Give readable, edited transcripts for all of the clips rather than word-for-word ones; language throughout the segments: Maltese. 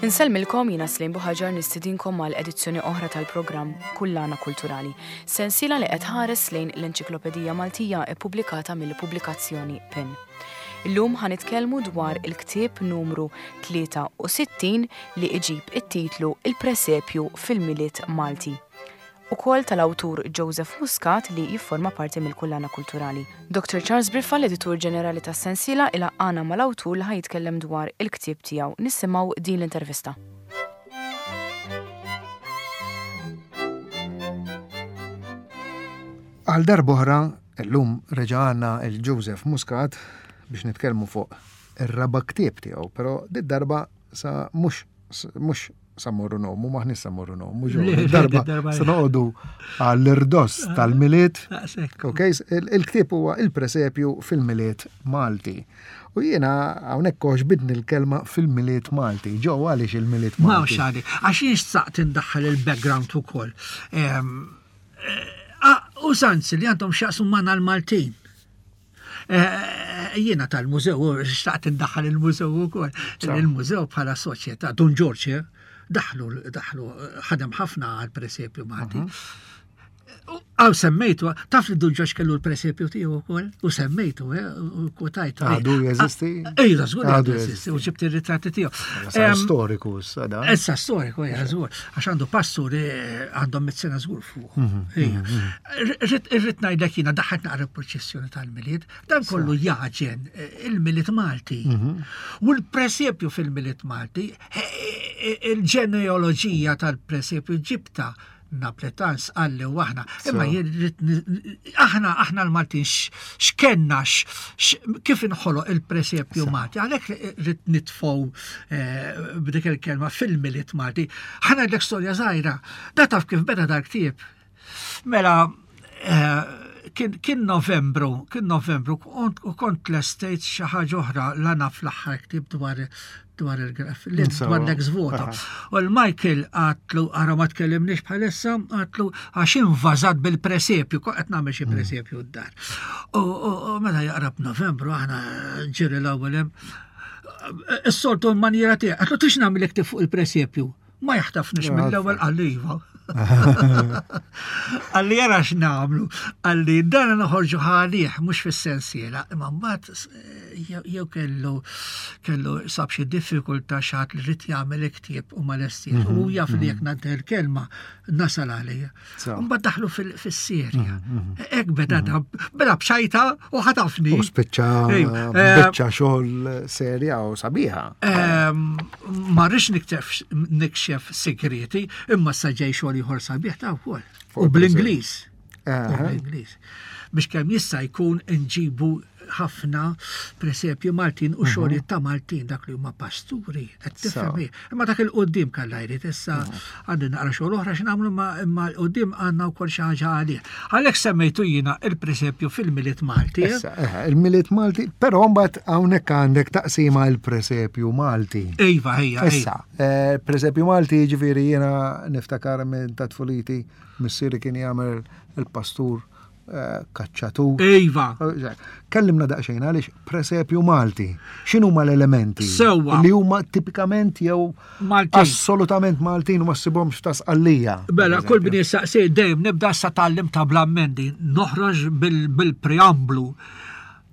Insellmilkom jiena Slim Buħaġar nistidinkom għal edizzjoni oħra tal-programm Kullana Kulturali, sensiela li qed ħares lejn l-Enċiklopedija Maltija ippubblikata mill-pubblikazzjoni PIN. Illum ħa nitkellmu dwar il-ktieb numru 63 li iġib it-titlu Il-Presepju fil-Milied Malti. Ukoll tal-awtur Joseph Muscat li jifforma parti mill-Kullana Kulturali. Dr Charles Briffa, l-Editur Ġenerali tas-sensiela, ilaqqagħna mal-awtur li ħa jitkellem dwar il-ktieb tiegħu. Nisimgħu din l-intervista. Għal darb'oħra, illum reġa' għandna il Joseph Muscat biex nitkellmu fuq ir-raba' ktieb tiegħu, però did-darba sa mhux mhux sa morru nomu, maħni sa morru nomu, darba sa noqogħdu għall-irdoss ah, tal-miliet. Ok, il-ktieb huwa il-presepju fil-miliet Malti. U jiena hawnhekk bidni l-kelma fil-miliet Malti. Ġew għaliex il-miliet Malti. Ma xali, għax jien xtaqt indaħħal il-background ukoll. Ehm, eh, ah, użanzi li għandhom xaqsu magħna l-Maltin. Eh, jiena tal-mużew, xtaqt indaħħal il-mużew ukoll. Il-mużew bħala soċjetà, Dun Ġorġ, eh, daħlu, daħlu, ħadem ħafna għal presepju Malti. Mhm. Għaw semmejtu, taf li Dun Ġorġ kellu l-presepju tiegħu wkoll, u semmejtu, eh, u kwotajtu. Għadu jeżisti? Ejja, żgur għadu jeżisti, u ġibt ir-ritratti tiegħu. Storiku, sada. Issa storiku, ja, żgur, għax għandu pastur għandhom mit-sena żgur fuq. Mhm, mhm, mhm. Irrid ngħidlek jiena daħħet naqra proċessjoni tal-Milied, dan kollu jaġen eh, il-Milied Malti. U l-presepju fil-Milied Malti, eh, eh, il-ġenealoġija tal-presepju ġibta Napletan sqalli u aħna. Imma jirrit aħna aħna l-Maltin x'kenna kif inħoloq il-presepju Malti. Għalhekk rrid nitfgħu eh, b'dik il-kelma fil-Milied Malti. Ħa ngħidlek storja żgħira. Da taf kif beda dal-ktieb. Mela eh, kien Novembru, kien Novembru, u kont l-estate xi ħaġa oħra l-għana fl-aħħar ktieb dwar dwar il-graf, dwar l-ex voto. U l-Michael għatlu, għara ma tkellimniex bħalissa, għatlu għax invażat bil-presepju, qed nagħmel xi mm. presepju d-dar. U meta jaqrab Novembru aħna ġiri l-ewwel hemm. Is-soltu l-manjera tiegħek, għatlu tix nagħmel fuq il-presepju. Ma jaħtafniex mill-ewwel qalli iva. Qalli jara x'nagħmlu, qalli dan noħorġu ħalih mhux fis-sensiela, imma mbagħad eh, jew kellu kellu sab xi diffikultà xi li rid jagħmel ktieb u ma lestiex u mhm, jaf li mhm. jekk nagħti l-kelma nasal għalija. Mbagħad daħlu fis-serja. Mhm, mhm. Hekk beda mhm. beda b'xajta u ħatafni. U spiċċa eh, biċċa xogħol serja u sabiħa. Ehm, ma rridx nikxef segreti, imma sa ġej xogħol ieħor sabiħ ta' wkoll. U bl-Ingliż. U bl-Ingliż. Biex kemm jista' jkun inġibu ħafna presepju Maltin u mhm. xogħlijiet ta' Maltin dak li huma pasturi qed tifhem Imma dak il-qudiem kellha jrid issa mhm. għandi naqra xogħol oħra x'nagħmlu imma l-qudiem għandna wkoll xi ħaġa għalih. Għalhekk semmejtu jiena il-presepju fil-Milied Malti. Eh? Issa, eh, il-Milied Malti, però mbagħad hawnhekk għandek taqsima il-presepju Malti. Iva, ejja. Issa, eh, presepju Malti jiġifieri jiena niftakar minn ta' tfuliti missieri kien jagħmel il-pastur kaċċatur. Iva. Kellimna daqsxejn għaliex presepju Malti. X'inhuma l-elementi? Sewwa. Li huma tipikament jew Maltin. Assolutament Maltin u ma ssibhomx ta' Sqallija. Mela, kull min jistaqsi dejjem nibda sa tgħallim ta' bl-ammendi, noħroġ bil-preamblu.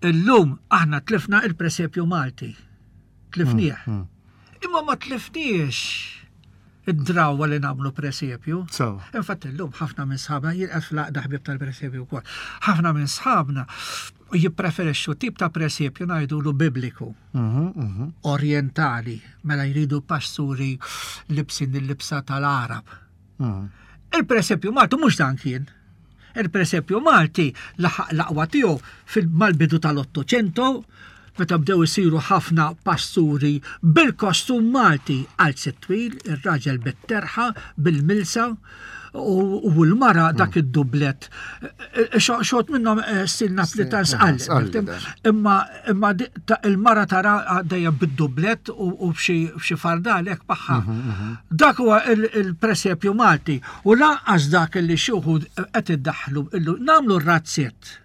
Illum aħna tlifna il-presepju Malti. Tlifnieh. Mm, mm. Imma ma tlifniex id-drawwa li nagħmlu presepju. So. Infatti llum ħafna minn sħabna jien qed fl-għaqda ħbieb tal-presepju wkoll. Ħafna minn sħabna jippreferixxu tip ta' presepju ngħidulu bibliku. Mhm, mhm. Orientali, mela jridu pasturi libsin il-libsa tal-Arab. Mhm. Il-presepju Malti mhux dan kien. Il-presepju Malti laħaq l-aqwa tiegħu mal-bidu tal-Ottocento, meta bdew isiru ħafna pasturi bil-kostum Malti, qalzet twil, ir-raġel bit-terħa, bil-milsa, u l-mara dak hmm. id-dublet. Xot minnhom eh, stil Naplitan sqalli. Imma imma il-mara tara dejjem bid-dublet u b'xi fardal hekk magħha. Mhm, mhm. Dak huwa il-presepju Malti u lanqas dak li xi wħud qed iddaħħlu nagħmlu r-razzett.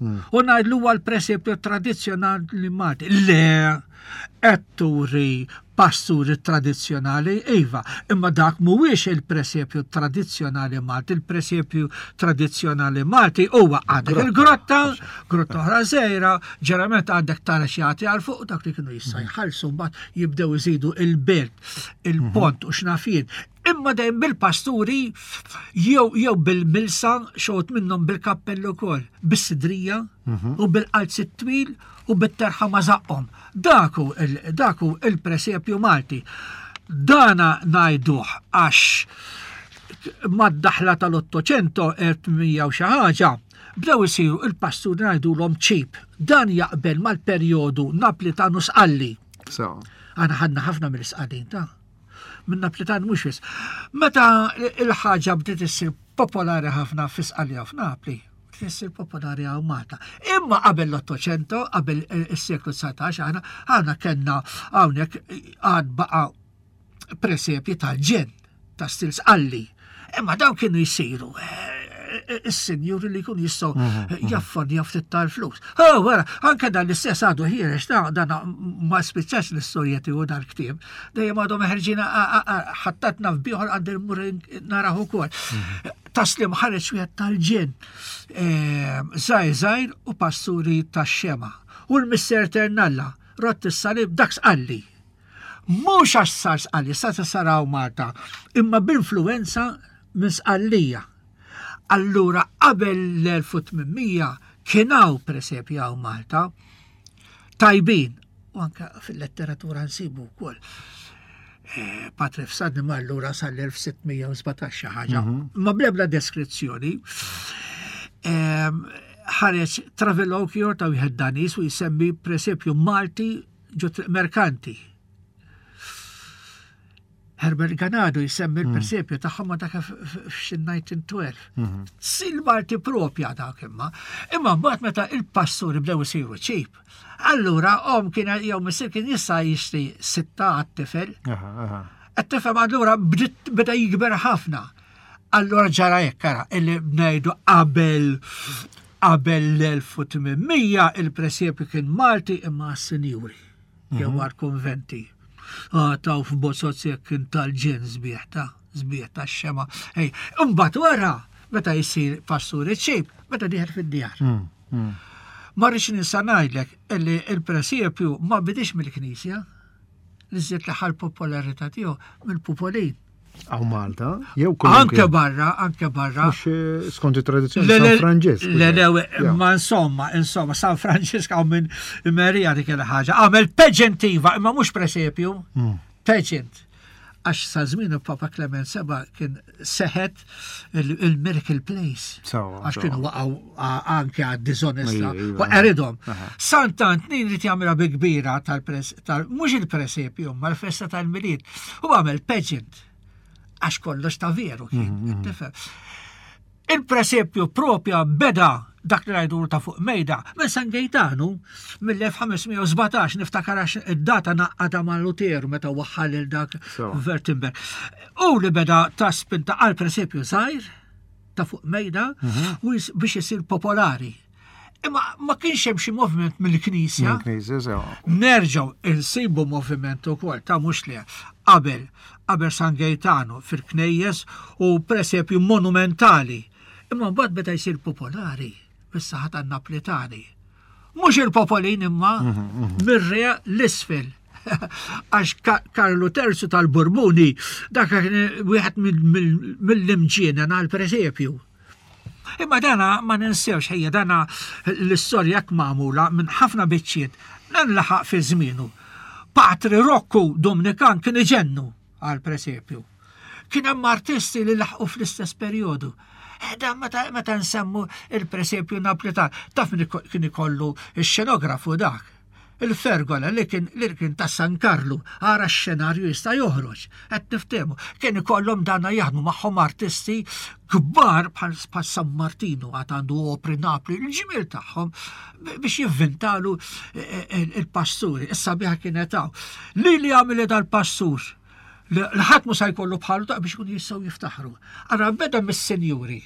U ngħidlu huwa l-presepju tradizzjonali Malti. Le, qed turi pasturi tradizzjonali, iva, imma dak mhuwiex il-presepju tradizzjonali Malti. Il-presepju tradizzjonali Malti huwa għandek il-grotta, grotta oħra żgħira, ġeneralment għandek tara xi jagħti għal fuq dak li kienu jista' mhm. jħallsu mbagħad jibdew iżidu il-belt, il-pont u x'nafien. Imma dejjem bil-pasturi jew jew bil-milsa xogħod minnhom bil-kappell ukoll, bis-sidrija mhm. u bil-qalz twil u bit-terħa ma' żaqqhom. Daku daku il-presepju Malti. Dana ngħiduh għax mad-daħla tal-800 1800 u xi ħaġa bdew isiru il-pasturi ngħidulhom ċip. Dan jaqbel mal-perjodu Naplitanu Sqalli. So. Għana ħadna ħafna mill-Sqallin ta' minn Naplitan mhux wis. Meta il-ħaġa bdiet issir popolari ħafna fi Sqallija u f'Napli, bdiet issir popolari hawn Malta. Imma qabel l-Ottocento, qabel is-seklu 19 aħna aħna kellna hawnhekk għad baqa' presepji tal-ġenn ta' stil Sqalli. Imma dawn kienu jsiru eh, is-sinjuri li jkun jistgħu mhm, mhm. jaffordjaw ftit tal-flus. Oh, wara, anke dan l-istess għadu ħiereġ ta' dan ma spiċċax l-istorja tiegħu dal-ktieb. Dejjem għadhom ħerġina ħattatna f'bieħor għand il-mur naraħ ukoll. Mhm. Taslim ħareġ wieħed tal-ġen eh, żgħir żgħir u pasturi tax-xema. U l-Mister Ternalla, rott is-salib dak sqalli. Mhux għax sar sqalli, sa saraw Malta, imma b'influwenza minn Sqallija. Allura qabel l-1800 kien hawn presepji hawn Malta tajbin u anke fil-letteratura nsibu wkoll. Eh, Patre Fsadni mar lura sal-1617 xi ħaġa, mhm. ma blebla deskrizzjoni. Ehm, ħareġ Travelocchio ta' wieħed Danis u jsemmi presepju Malti ġo Triq Merkanti. Herbert Ganado jsemmi hmm. l-presepju tagħhom ma dak f'xi 1912. Hmm. Sil Malti propja dak imma. Imma mbagħad meta il-pasturi bdew isiru ċip, allura om kien jew missier kien jista' jixtri sitta għat-tifel. Qed tifhem allura beda jikber ħafna. Allura ġara hekk ara illi ngħidu qabel qabel l-1800 il-presepju kien Malti imma għas-sinjuri jew mhm. għal-konventi. Ah, taw f'bozozz jekk kien tal-ġen sbieħ ta' sbieħ ta' xema. Ej, imbagħad wara meta jsir pastur iċ-ċejb, meta dieħel fid-djar. Mm, mm. Ma rridx ninsa ngħidlek illi il-presepju ma bidix mill-Knisja, li żied l-aħħar popolarità tiegħu mill-Pupolin. Għaw Malta, jew Anke barra, anke barra. Mux eh, skont it-tradizzjoni San Franġisk. Le, le, ma insomma, insomma, San Franġisk għaw minn Merija dik il-ħaġa. Għamel pageant iva, imma mhux presepju, hmm. pageant. Għax sa żmien il-Papa Clement Seba kien seħet il-Miracle Place. Għax kienu waqgħu anke għad dizonesta u eridhom. Sant'Antnin li jagħmilha bi kbira tal-pres tal mhux il-presepju ma l-festa tal-Milied. U għamel pageant għax kollox ta' veru kien, mhm, mhm. tifhem. Il-presepju propja beda dak li ngħidu ta' fuq mejda minn San Gejtanu mill-1517 niftakar għax id-data naqqada ma' Luteru meta waħħal il dak Wertenberg. U li beda ta' spinta għal presepju żgħir ta' fuq mejda mhm. u biex isir popolari. Imma ma kienx hemm xi moviment mill-Knisja. Nerġgħu insibu moviment ukoll ta' mhux li qabel qabel San Gejtanu fil-knejjes u presepju monumentali. Imma mbagħad beda jsir popolari bis-saħħa tan-Naplitani. Mhux il-popolin imma mhm, mhm. mir-re l-isfel. Għax Karlu Terzu tal-Burbuni dak kien wieħed mill-imġienen għall-presepju. Imma dana ma ninsewx ħejja dana l-istorja jekk magħmula minn ħafna biċċiet dan laħaq fi żmienu. Patri Rokku Dominikan kien iġennu għal presepju. Kien hemm artisti li laħqu fl-istess perjodu. Eh, dan meta, meta nsemmu il-presepju Naplitan, taf min kien ikollu x-xenografu dak. Il-fergola li kien li kien ta' San Karlu, ara x-xenarju jista' joħroġ, qed niftehmu. Kien ikollhom dana jaħdmu magħhom artisti kbar bħal San Martinu għad għandu opri Napli, il-ġmiel tagħhom biex jivvintalu eh, eh, il-pasturi. Issa biha kienet hawn. Li li għamil dal-pastur li ħadd mhu sa jkollu bħalu ta' biex ikunu jistgħu jiftaħru. Ara beda mis-senjuri.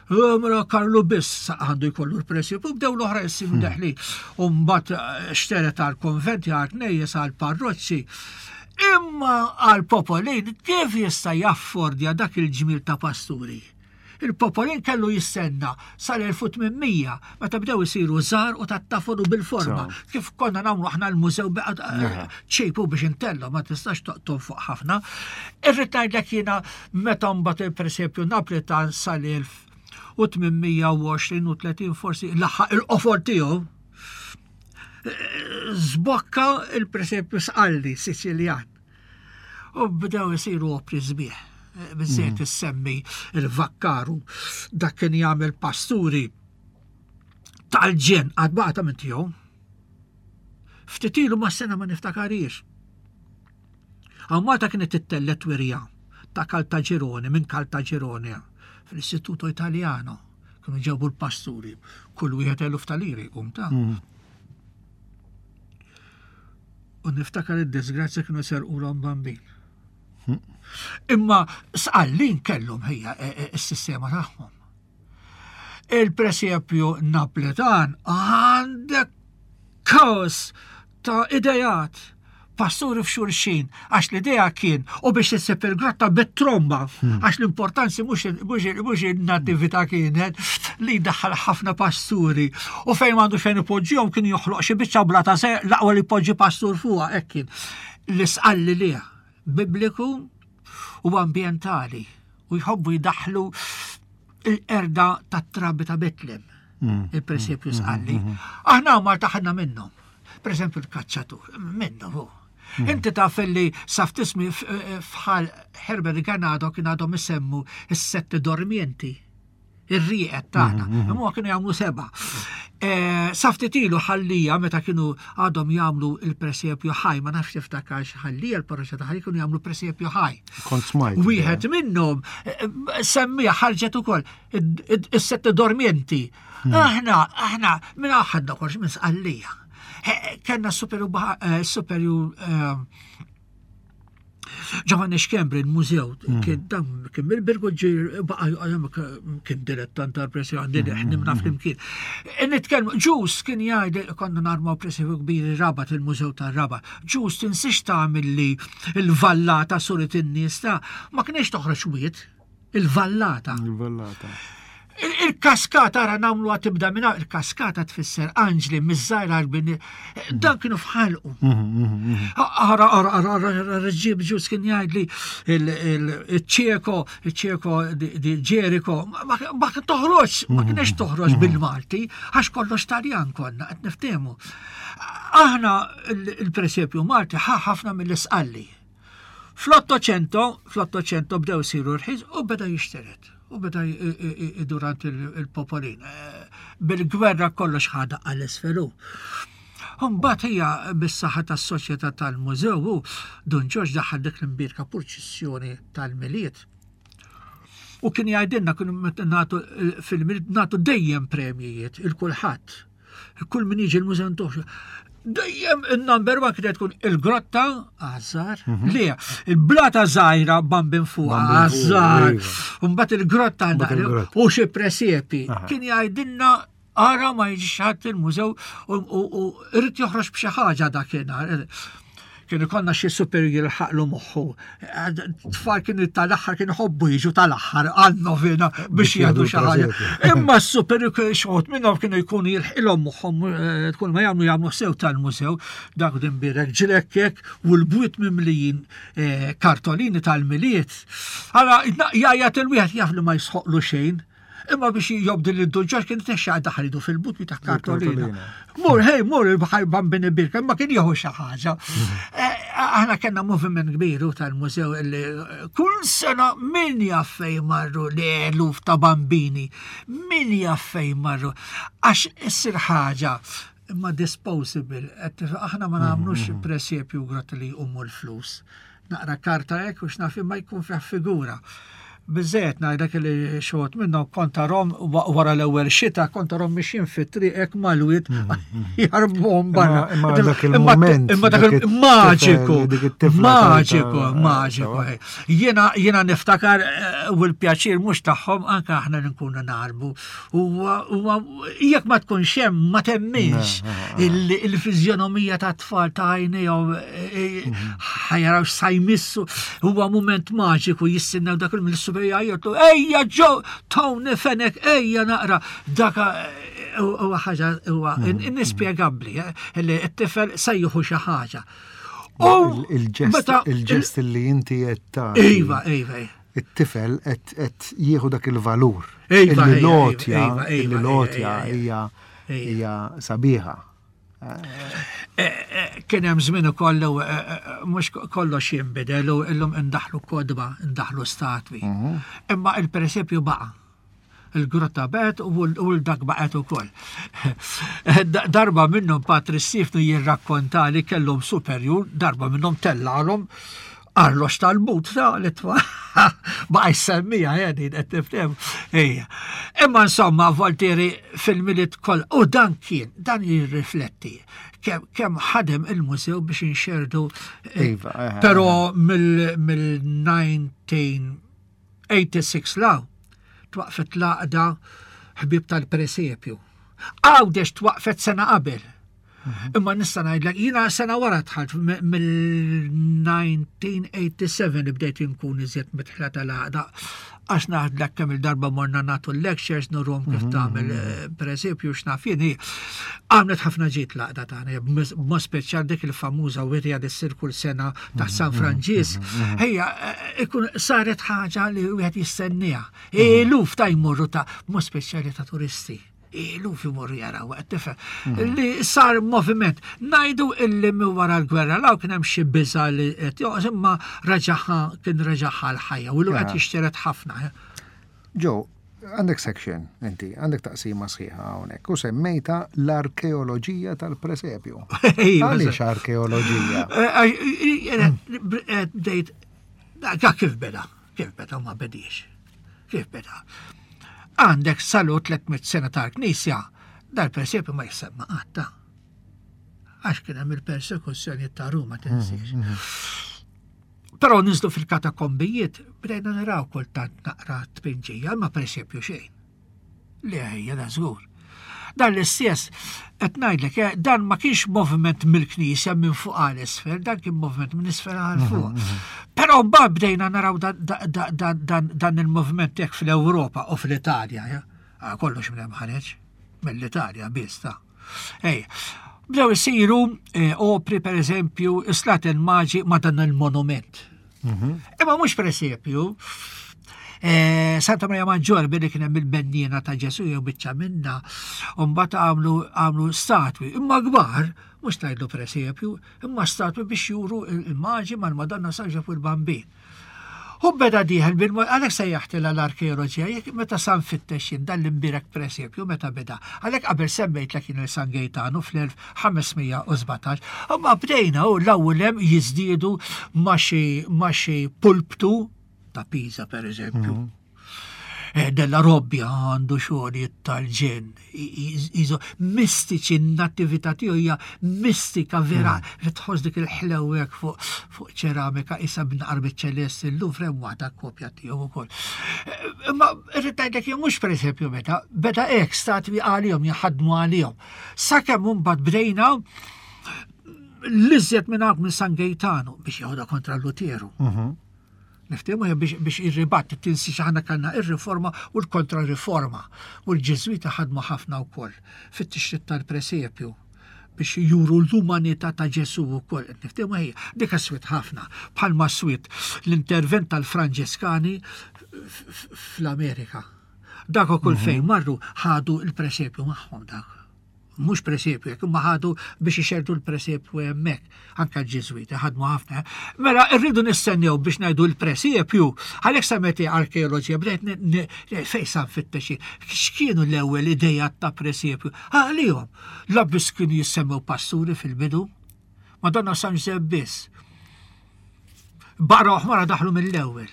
Eh, mela Karlu biss għandu jkollu l-presip u bdew l-oħra jsiru deħlin. U mbagħad eh, xteret għal konventi għal knejjes għal parroċċi. Imma għal popolin kif jista' jaffordja dak il-ġmil ta' pasturi? Il-popolin kellu jistenna sal-1800 meta bdew isiru żgħar u tat-tafol u bil-forma. Kif konna nagħmlu aħna l-mużew eh, ċejpu biex intellu ma tistax toqtom fuq ħafna. Irrid ngħidlek jiena Meta mbagħad il-presepju Naplitan sal-1820 u 30 forsi laħaq il-qofol tiegħu, żbokka il-presepju Sqalli Siċiljan. U bdew isiru opri sbieħ. Biżżejjed issemmi il-Vakkaru, dak kien jagħmel pasturi tal-ġen għad baqa' ta' minn tiegħu. Ftit ilu ma' sena ma niftakariex. Hawn Malta kienet ittellgħet wirja ta' Caltagirone minn Caltagirone fl-Istituto Italiano. Kienu ġebu l-pasturi, kull wieħed eluf ta' liri jqum ta'. Mm. U niftakar id-disgrazzja kienu serqulhom bambin. Mm. Imma sqallin kellhom ħija e, e, s-sistema tagħhom. Il-presepju Napletan għandek kaos ta' idejat, pasturi f'xulxin, għax l-idea kien u biex issib il-grotta bit-tromba, hmm. għax l-importanzi mhux il-natività kienet li daħħal ħafna pasturi u fejn m'għandu xejn ipoġġihom kien joħloq xi biċċa blata se l-aqwa li jpoġġi pastur fuqha hekk kien. L-isqalli liha bibliku u ambjentali u jħobbu jdaħħlu il-qerda tat-trabi ta' Betlem. Mm. Il-presepju mm, sqalli. Mm, Aħna ma taħna minnhom. Per eżempju l-kaċċatur, minnhom hu. Inti taf li saf tismi fħal Herbert Ganado kien għadhom isemmu s-sette dormienti ir-rieqed tagħna. Imma kienu jagħmlu seba'. Eh, Saftit ilu ħallija meta kienu għadhom jagħmlu il-presepju ħaj, ma nafx tiftakarx ħallija l-parroċċa ta' ħaj kienu jagħmlu presepju ħaj. Kont smajt. Wieħed minnhom eh, semmija ħarġet ukoll is-sette dormienti. Hmm. Aħna, aħna, minn aħna kolx minn sqallija. Eh, kellna superju Giovanni Schembri, il-mużew, hmm. kien dan kien mill-Birgu ġir baqa' kien dilettant tal-pressi għandi hmm, ħnimna hmm, flimkien. E nitkellmu, ġus kien jgħid konna narmaw pressi kbir rabat il-mużew tar-Rabat. Ġus tinsiex tagħmel li l-vallata suret in-nies ta' ma kienx toħroġ wied. Il-vallata. Il-vallata. Il-kaskata ara namlu tibda minna, il-kaskata tfisser anġli miż-żgħira għal Dan kienu fħalqu. Mhm, mhm, mhm. Ara, ara, ara, ara, ġib ġus kien jgħidli il-ċeko, il-ċeko di Ġeriko, ma toħroġ, ma kienx toħroġ bil-Malti, għax kollox Taljan konna, qed niftehmu. Aħna il-presepju Malti ħa ħafna mill-isqalli. Fl-Ottocento, fl-Ottocento bdew isiru rħis u beda jixteret. U beda idurant il-popolin. Eh, bil-gwerra kollox ħada għal-isfelu. Mbagħad hija bis-saħħa tas-soċjetà tal-mużew u Dun Ġorġ daħal dik l-imbierka purċissjoni tal-Milied. U kien jgħidilna kienu nagħtu eh, fil-Milied nagħtu dejjem premjijiet il kulħadd. Kull min jiġi l-mużew ntuħ. Dejjem il-number one kienet tkun il-grotta għażar, mhm. li il-blata żgħira bambin fuq għażar. Iva. Mbagħad il-grotta u xi presepi. Kien jgħidilna ara ma jiġix ħadd il-mużew u irid joħroġ b'xi ħaġa dakinhar. Kien ikollna xi super jilħaqlu moħħu. Tfal kienu tal-aħħar kienu ħobbu jiġu tal-aħħar għal-novena biex jgħidu xi ħaġa. Imma s-super xogħod minnhom kienu jkunu jilħqilhom moħħhom eh, tkun ma jagħmlu jagħmlu sew tal-mużew dak din birek ġrekkek u l-bwiet mimlijin eh, kartolini tal-miliet. Ara jgħajjat il-wieħed jaf li ma jisħoqlu xejn. Imma biex jobdi li d-duġġar kien tnexxa daħal idu fil-but ta' kartolina. Mur, hej, mur il-bħaj bambini birka, imma kien jieħu xi ħaġa. Eh, aħna kellna moviment kbiru tal-mużew li eh, kull sena min jaf fejn marru li eluf ta' bambini, min jaf fejn marru. Għax issir ħaġa imma disposable, aħna ma nagħmlux mhm, mhm. presepju grotti li jqumu l-flus. Naqra karta hekk u x'naf imma jkun fih figura. Biżżejjed ngħidlek li xi wħud minnhom kont tarhom wara l-ewwel xita kont tarhom mixjin fit-triq hekk mal-wied jarbuhom barra. Imma dak il-mument. Imma dak il-maġiku. Maġiku, maġiku. Jiena jiena niftakar eh, u l-pjaċir mhux tagħhom anke aħna li nkunu narbu. Huwa jekk ma tkunx hemm ma temminx il-fiżjonomija ta' tfal ta' għajnejhom eh, eh, mhm. ħajaraw sa jmissu huwa mument maġiku jistennew dak il-mill-super jgħajjatu ejja ġo Tony Fenek ejja naqra daka eh, huwa ħaġa huwa mhm. innispjegabbli li t-tifel se jieħu xi ħaġa. Il-ġest li inti qed Iva, iva, iva. It-tifel qed jieħu dak il-valur. Iva, Illi l-għotja, illi l-għotja hija hija sabiħa. Eh, eh, kien hemm żmien ukoll eh, mhux kollox jinbidel u illum indaħlu kodba, indaħlu statwi. Mhm. Imma il-presepju baqa' il-grotta baqgħet u l-dak baqgħet ukoll. Darba minnhom Patri Sifnu jirrakkonta li kellhom superjur, darba minnhom tellalhom arlox tal-but ta' li tfa baqa' jsemmija jedin qed tifhem. Ejja. Imma insomma Voltieri fil-miliet koll u dan kien dan jirrifletti kemm ħadem il-mużew biex inxerdu. Eh, iva, eh, però eh. mill-19 86 law twaqfet l-għaqda ħbieb tal-presepju. Għawdex twaqfet sena qabel. Mhm. Imma nista' ngħidlek jiena sena wara dħalt mill-1987 bdejt inkun iżjed mitħla tal-għaqda għax naħdlek kemm il-darba morna nagħtu lectures nurhom kif mhm, tagħmel mhm. eh, pereżempju x'naf jien għamlet ħafna ġid l-għaqda tagħna b'mod speċjal dik il-famuża wirja li ssir kull sena ta' San Franġisk. Ejja, eh, ikun saret ħaġa li wieħed jistenniha. Eluf ta' jmorru ta' b'mod speċjali ta' turisti. Eluf imorru jaraw, qed tifhem. Mhm. Li sar moviment. Najdu illi minn wara l-gwerra law kien hemm xi biża li qed joqgħod imma reġaħa kien reġaħa l-ħajja u l qed jixteret ħafna. Eh. Ġo, għandek section, inti, għandek taqsima sħiħa hawnhekk u semmejta l-arkeoloġija tal-presepju. Għaliex arkeoloġija? Eh, eh, bdejt, kif beda, kif beda ma bediex. Kif beda? Għandek salu 300 sena tal-Knisja, dal-presepju ma jissemma qatta. Għax kien hemm il-persekuzzjoni ta' Ruma tinsiex. Mm, mm. Però ninżlu fil-katakombijiet bdejna naraw kultant naqra tpinġija, ma presepju xejn. Le ħejja da żgur. Dan l-istess qed ngħidlek eh, dan ma kienx moviment mill-Knisja minn fuq għal isfel, dan kien moviment minn isfel għal mhm, fuq. Mhm. Però mbagħad bdejna naraw dan il-moviment hekk fl-Ewropa u fl-Italja, eh? ah, kollox minn hemm ħareġ mill-Italja biss ta' Ej, bdew isiru eh, opri per eżempju Slaten Maġi ma' dan il-monument. Mhm. Imma mhux per eżempju, eh, Santa Maria Maggiore billi kien hemm il-bennina ta' Ġesu jew biċċa minna, u mbagħad għamlu għamlu statwi, imma kbar, mhux tgħidlu presepju, imma statwi biex juru il-maġi mal-Madonna San Ġorġ u l-Bambin. Hu beda dieħel bil għalhekk sejjaħtilha l-arkeoloġija, jekk meta sa nfittex jien dan l-imbierek presepju meta beda. Għalhekk qabel semmejtlek jien il San Gejtanu fl-1517, imma bdejna u l-ewwel hemm jiżdiedu ma' xi ma' xi pulptu ta' Pisa pereżempju. Mm -hmm. Eh, della Robbia għandu xogħlijiet tal-ġen, iżo mistiċi n-nattività tiegħu hija mistika vera mm. li tħoss dik il-ħlewek fuq fuq ċeramika isa b'naqar biċ-ċelest il-Louvre hemm waħda kopja tiegħu wkoll. Eh, imma irrid ngħidlek jien mhux pereżempju meta beda hekk statwi għalihom jaħadmu għalihom. Sakemm imbagħad bdejna l-iżjed minn minn San Gejtanu biex jeħodha kontra Luteru. Mhm. Niftehmu biex, biex irribatt tinsi aħna kellna ir-riforma u l-kontrariforma. U l-Ġiżwiti ħadmu ħafna wkoll fit-tixrid tal-presepju biex juru l-umanità ta' Ġesu wkoll. Niftehmu hija dik swiet ħafna bħalma swiet l-intervent tal-Franġiskani fl-Amerika. Dak ukoll mhm. fejn marru ħadu l-presepju magħhom dak. Mhux presepju jekk imma ħadu biex ixerdu l-presepju hemmhekk, anke l-Ġiżwiti ħadmu ħafna. Mela rridu nistennew biex ngħidu l-presepju, għalhekk semmeti arkeoloġija bdejt fejn sa nfittex x'kienu l-ewwel idejat ta' presepju. Għalihom, la biss kienu jissemmew pasturi fil-bidu, Madonna San Ġużepp biss. Barra oħmara daħlu mill-ewwel.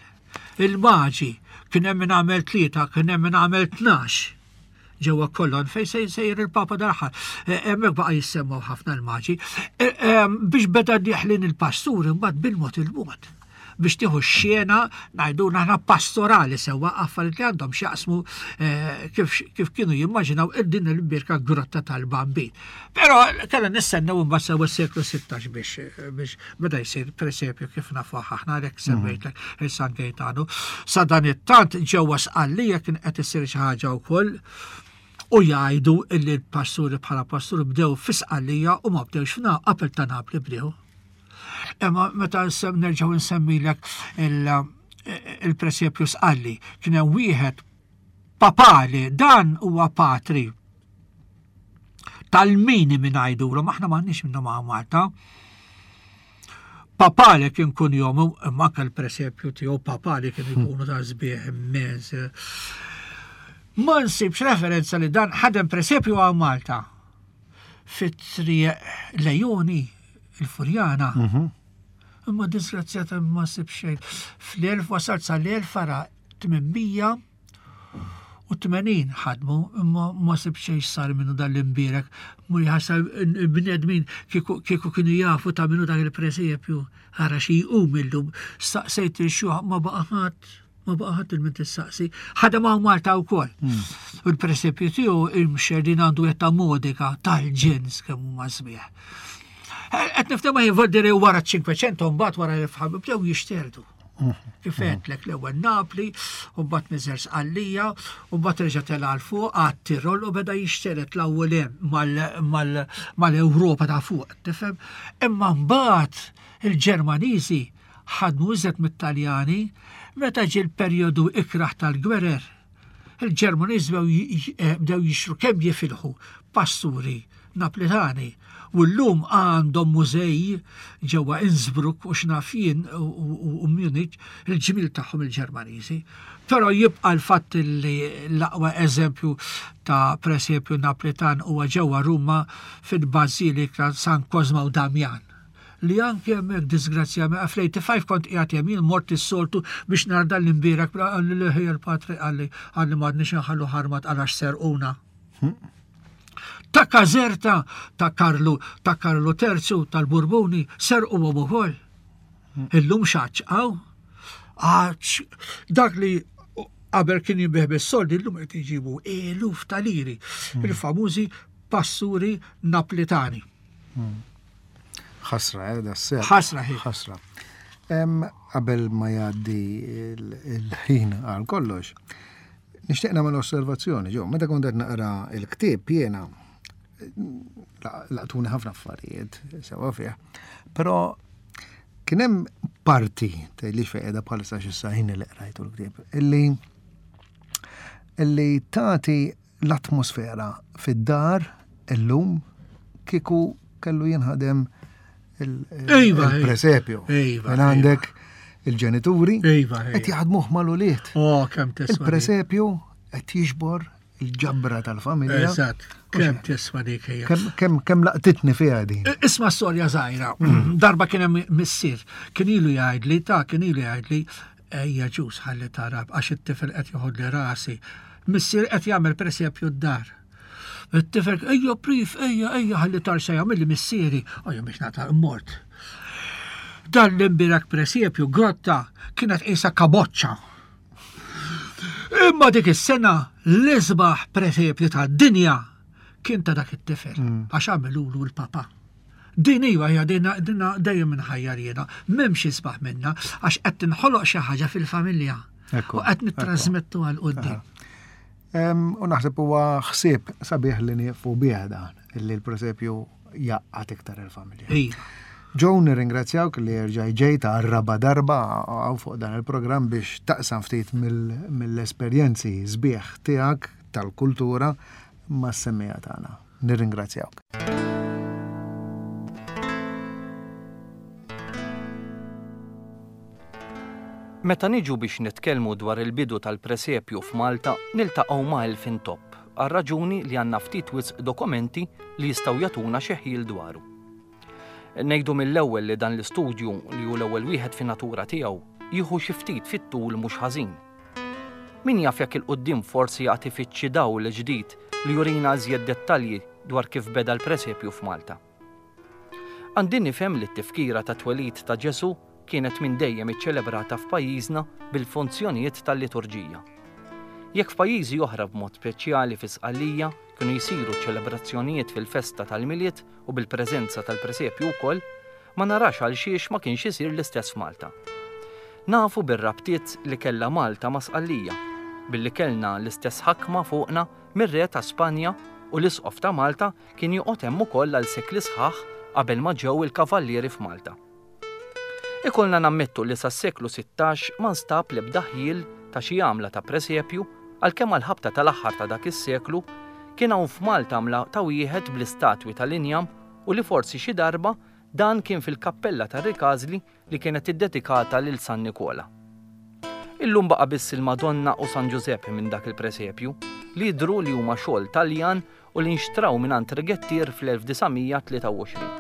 Il-maġi. Kien hemm min għamel tlieta, kien hemm min għamel 12 ġewwa Kolon fejn se jsejjer il-Papa dal-aħħar. Eh, hemmhekk baqa' jissemmaw ħafna l-maġi. Eh, eh, biex beda dieħlin il-pasturi mbagħad bil-mod il-mod biex tieħu x-xena ngħidu aħna pastorali sewwa affarijiet li għandhom x'jaqsmu kif, kif kienu jimmaġinaw din il-birka grotta tal-Bambin. Però kellna nistennew imbagħad sewwa s-seklu 16 biex biex beda jsir presepju kif nafu aħna għalhekk mhm. semmejtlek il-San Gaetano. Sa dan it-tant ġewwa Sqallija kien qed isir xi ħaġa wkoll u jgħidu illi l-pasturi bħala pasturi bdew fi Sqallija u ma bdewx f'na qabel ta' Napli bdew. Imma meta nerġgħu nsemmilek il-presepju Sqalli kien hemm wieħed papali dan huwa patri tal-mini minn għajdulhom, aħna m'għandniex minnhom hawn Malta. Papale kien kun jomu, imma anke l-presepju tiegħu papale kien hmm. ikunu ta' sbieħ immens. Ma nsibx referenza li dan ħadem presepju għal Malta fit-triq Lejoni, il-Furjana. Mhm. Imma disgrazzjata ma nsib xejn. Fl-1000 wasalt sal-1800 u 80 ħadmu imma ma sib xejn sar minnu dan l-imbierek. Mur ħasa bnedmin kieku kienu jafu ta' minnu dak il-presepju ara xi jqum illum. Staqsejt il-xuħ ma baqa' ħadd ma baqa' ħadd il-min tistaqsi. Ħadem hawn Malta wkoll. Hmm. U l-presepju tiegħu imxerdin għandu ta' modika tal-ġens kemm huma sbieħ. Qed nifhem ma jivoldiri wara 500 mbagħad wara l-fħab bdew jixterdu. Kif għedtlek l-ewwel Napli, u mbagħad niżel Sqallija, u mbagħad reġa' tela' 'l fuq għat-Tirol u beda jixteret l-ewwel hemm mal-Ewropa ta' fuq, tifhem? Imma mbagħad il-Ġermaniżi ħadmu iżjed mit-Taljani meta ġie l-perjodu ikrah tal-gwerer. Il-Ġermaniżi bdew jixtru kemm jifilħu pasturi Naplitani u llum għandhom mużej ġewwa Innsbruck u x'naf jien u Munich il-ġmiel tagħhom il-Ġermaniżi. Però jibqa' l-fatt li l-aqwa eżempju ta' presepju Naplitan huwa ġewwa Ruma fil-Bażilika San Kozma u Damjan li anke hemmhekk disgrazzjament fl-85 kont qiegħed hemm jien mort is-soltu biex nara dan l-imbierek qalli le ħija l-patri qalli qalli m'għadniex inħallu ħarmat għalax serquna. Ta' Caserta ta' Karlu ta' Karlu Terzu tal-Burbuni serquhom ukoll. Illum xaċċqaw. Għax dak li qabel kien jinbih bis-soldi illum qed iġibu eluf ta' liri. Hmm. Il-famużi passuri Naplitani. Hmm. Ħasra, eh, da sew. Ħasra, ħasra. Qabel ma jgħaddi il-ħin għal kollox, Nixtieq nagħmel osservazzjoni, ġo, meta kont qed naqra l-ktieb jiena laqtuni ħafna affarijiet sewa fih, però kien hemm parti tgħidlix fejn qiegħda bħalissa x'issa ħin li qrajtu l-ktieb, illi illi tagħti l-atmosfera fid-dar illum kieku kellu jinħadem iva, il-presepju. Iva, mela għandek il-ġenituri iva, qed jaħdmuh mal-ulied. Oh, kemm tiswa. Il-presepju qed jiġbor il-ġabra tal-familja. Eżatt, kemm tiswa dik hija. Kemm kemm laqtitni fiha din. Isma' storja żgħira. Mm. Darba kien hemm missier, kien ilu jgħidli, ta' kien ilu jgħidli, ejja ġus ħalli tarab għax it-tifel qed joħodli rasi. Missier qed jagħmel presepju d-dar. It-tifel, ejja prif, ejja, ejja, ħalli tar se jagħmel li missieri. Ejja biex nata mort. Dan l-imbirak presepju grotta kienet qisha kaboċċa. Imma dik is-sena l-isbaħ presepju tad-dinja kien ta' dak it-tifel mm. għax għamilulu l-papa. Din iva hija dina dejjem inħajjar jiena, m'hemmx isbaħ minna għax qed tinħoloq xi ħaġa fil-familja. U qed nittrażmettu għal quddiem. U naħseb huwa ħsieb sabiħ li nieqfu bih dan, illi l-presepju jaqqat iktar il-familja. Iva. Joe, nirringrazzjawk li erġaj ġejt għar-raba darba għaw fuq dan il-programm biex taqsam ftit mill-esperjenzi sbieħ tiegħek tal-kultura mas-semmija tagħna. Nirringrazzjawk. Meta niġu biex nitkellmu dwar il-bidu tal-presepju f'Malta niltaqgħu ma' elf intopp għar-raġuni li għandna ftit wisq dokumenti li jistgħu jagħtuna xi ħjiel dwaru. Ngħidu mill-ewwel li dan l-istudju, li hu l-ewwel wieħed fin-natura tiegħu, jieħu xi ftit fit-tul mhux ħażin. Min jaf jekk 'il quddiem forsi għad ifitt xi dawl ġdid li jurina iżjed dettalji dwar kif beda l-presepju f'Malta. Għandi nifhem li t-tifkira tat-twelid ta' Ġesù kienet minn dejjem iċċelebrata f'pajjiżna bil-funzjonijiet tal-liturġija. Jekk f'pajjiżi oħra b'mod speċjali fi Sqallija kienu jsiru ċelebrazzjonijiet fil-festa tal-Milied u bil-preżenza tal-presepju wkoll, ma narax għalxiex ma kienx isir l-istess f'Malta. Nafu bir-rabtiet li kellha Malta ma' Sqallija, billi kellna l-istess ħakma fuqna mir-Re ta' Spanja u l-Isqof ta' Malta kien joqgħod hemm ukoll għal sekli sħaħ qabel ma ġew il-Kavallieri f'Malta. Ikollna nammettu li sas-seklu 16 ma nstab l-ebda ħjiel ta' xi għamla ta' presepju għalkemm għall-ħabta tal-aħħar ta' dak is-seklu kien hawn f'Malta għamla ta' wieħed bl-istatwi tal-injam u li forsi xi darba dan kien fil-kappella tar-Rikażli li kienet iddedikata lil San Nikola. Illum baqa' biss il-Madonna u San Ġużepp minn dak il-presepju, li jidhru li huma xogħol Taljan u li nxtraw mingħand rigettier fl-1923.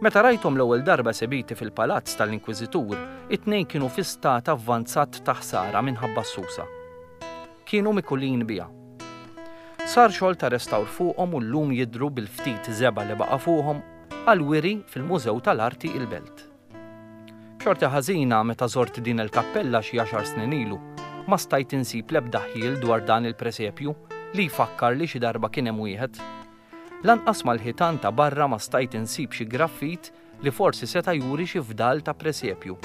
Meta rajthom l-ewwel darba esebiti fil-palazz tal-Inkwiżitur, it-tnejn kienu fi stat avvanzat ta' ħsara minħabba s-susa. Kienu mikulin biha. Sar xogħol ta' restawr fuqhom u llum jidhru bil-ftit żebgħa li baqa' fuqhom għall-wiri fil-Mużew tal-Arti il-Belt. B'xorti ħażina meta żort din il-kappella xi għaxar snin ilu, ma stajt insib l-ebda ħjiel dwar dan il-presepju li jfakkar li xi darba kien hemm wieħed. Lanqas mal-ħitan ta' barra ma stajt insib xi graffit li forsi seta' juri xi fdal ta' presepju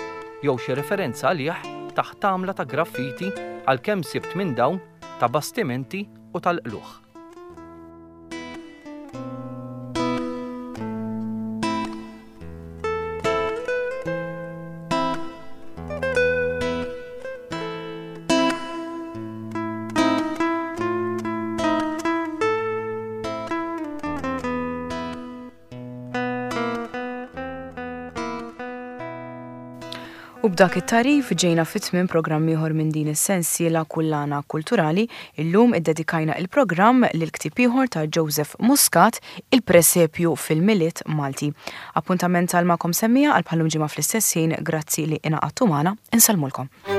jew xi referenza għalih taħt għamla ta' graffiti għalkemm sibt minn dawn ta' bastimenti u tal-qlugħ. U b'dak it-tagħrif ġejna fi tmiem programm ieħor minn din is-sensiela Kullana Kulturali. Illum iddedikajna il-programm lil ktieb ieħor ta' Joseph Muscat, Il-Presepju fil-Milied Malti. Appuntament għal magħkom semmiegħa għal bħal-lum ġimgħa fl-istess ħin, grazzi li ingħaqadtu magħna, insellmulkom.